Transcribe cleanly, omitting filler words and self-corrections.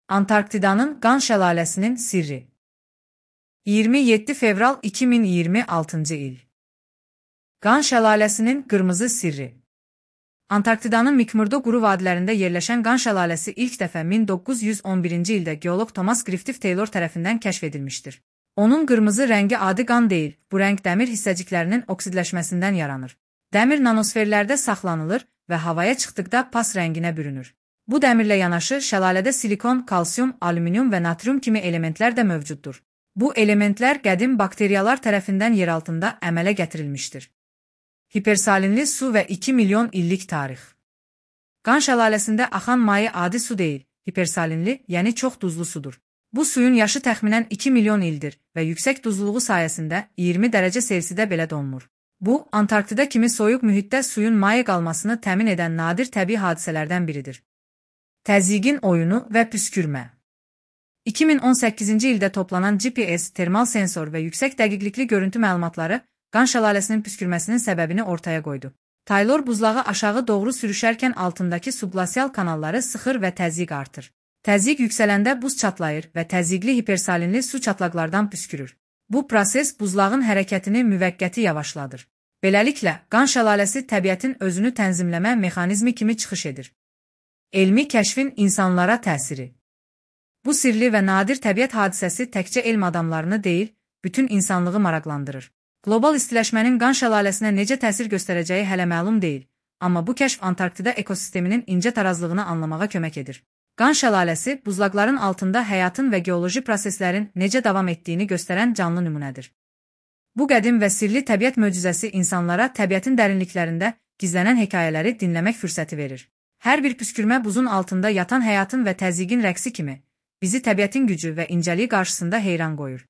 Antarktidanın Qan şəlaləsinin sirri. 27 fevral 2026 il. Qan şəlaləsinin qırmızı sirri. Antarktidanın Mcmurdo quru vadilərində yerləşən Qan şəlaləsi ilk dəfə 1911-ci ildə geoloq Thomas Griffith Taylor tərəfindən kəşf edilmişdir. Onun qırmızı rəngi adi qan deyil, bu rəng dəmir hissəciklərinin oksidləşməsindən yaranır. Dəmir nanosferlərdə saxlanılır və havaya çıxdıqda pas rənginə bürünür. Bu dəmirlə yanaşı şəlalədə silikon, kalsium, alüminium və natrium kimi elementlər də mövcuddur. Bu elementlər qədim bakteriyalar tərəfindən yeraltında əmələ gətirilmişdir. Hipersalinli su və 2 milyon illik tarix. Qan şəlaləsində axan maye adi su deyil, hipersalinli, yəni çox duzlu sudur. Bu suyun yaşı təxminən 2 milyon ildir və yüksək duzluluğu sayəsində 20 dərəcə Selsidə belə donmur. Bu, Antarktida kimi soyuq mühitdə suyun maye qalmasını təmin edən nadir təbii hadisələrdən biridir. Təzyiqin oyunu və püskürmə. 2018-ci ildə toplanan GPS, termal sensor və yüksək dəqiqlikli görüntü məlumatları Qan şəlaləsinin püskürməsinin səbəbini ortaya qoydu. Taylor buzlağı aşağı doğru sürüşərkən altındakı subglasial kanalları sıxır və təzyiq artır. Təzyiq yüksələndə buz çatlayır və təzyiqli hipersalinli su çatlaqlardan püskürür. Bu proses buzlağın hərəkətini müvəqqəti yavaşladır. Beləliklə, Qan şəlaləsi təbiətin özünü tənzimləmə mexanizmi kimi çıxış edir. Elmi kəşfin insanlara təsiri. Bu sirli və nadir təbiət hadisəsi təkcə elm adamlarını deyil, bütün insanlığı maraqlandırır. Qlobal istiləşmənin Qan şəlaləsinə necə təsir göstərəcəyi hələ məlum deyil, amma bu kəşf Antarktida ekosisteminin incə tarazlığını anlamağa kömək edir. Qan şəlaləsi buzlaqların altında həyatın və geoloji proseslərin necə davam etdiyini göstərən canlı nümunədir. Bu qədim və sirli təbiət möcüzəsi insanlara təbiətin dərinliklərində gizlənən hekayələri dinləmək fürsəti verir. Hər bir püskürmə buzun altında yatan həyatın və təzyiqin rəqsi kimi bizi təbiətin gücü və incəliyi qarşısında heyran qoyur.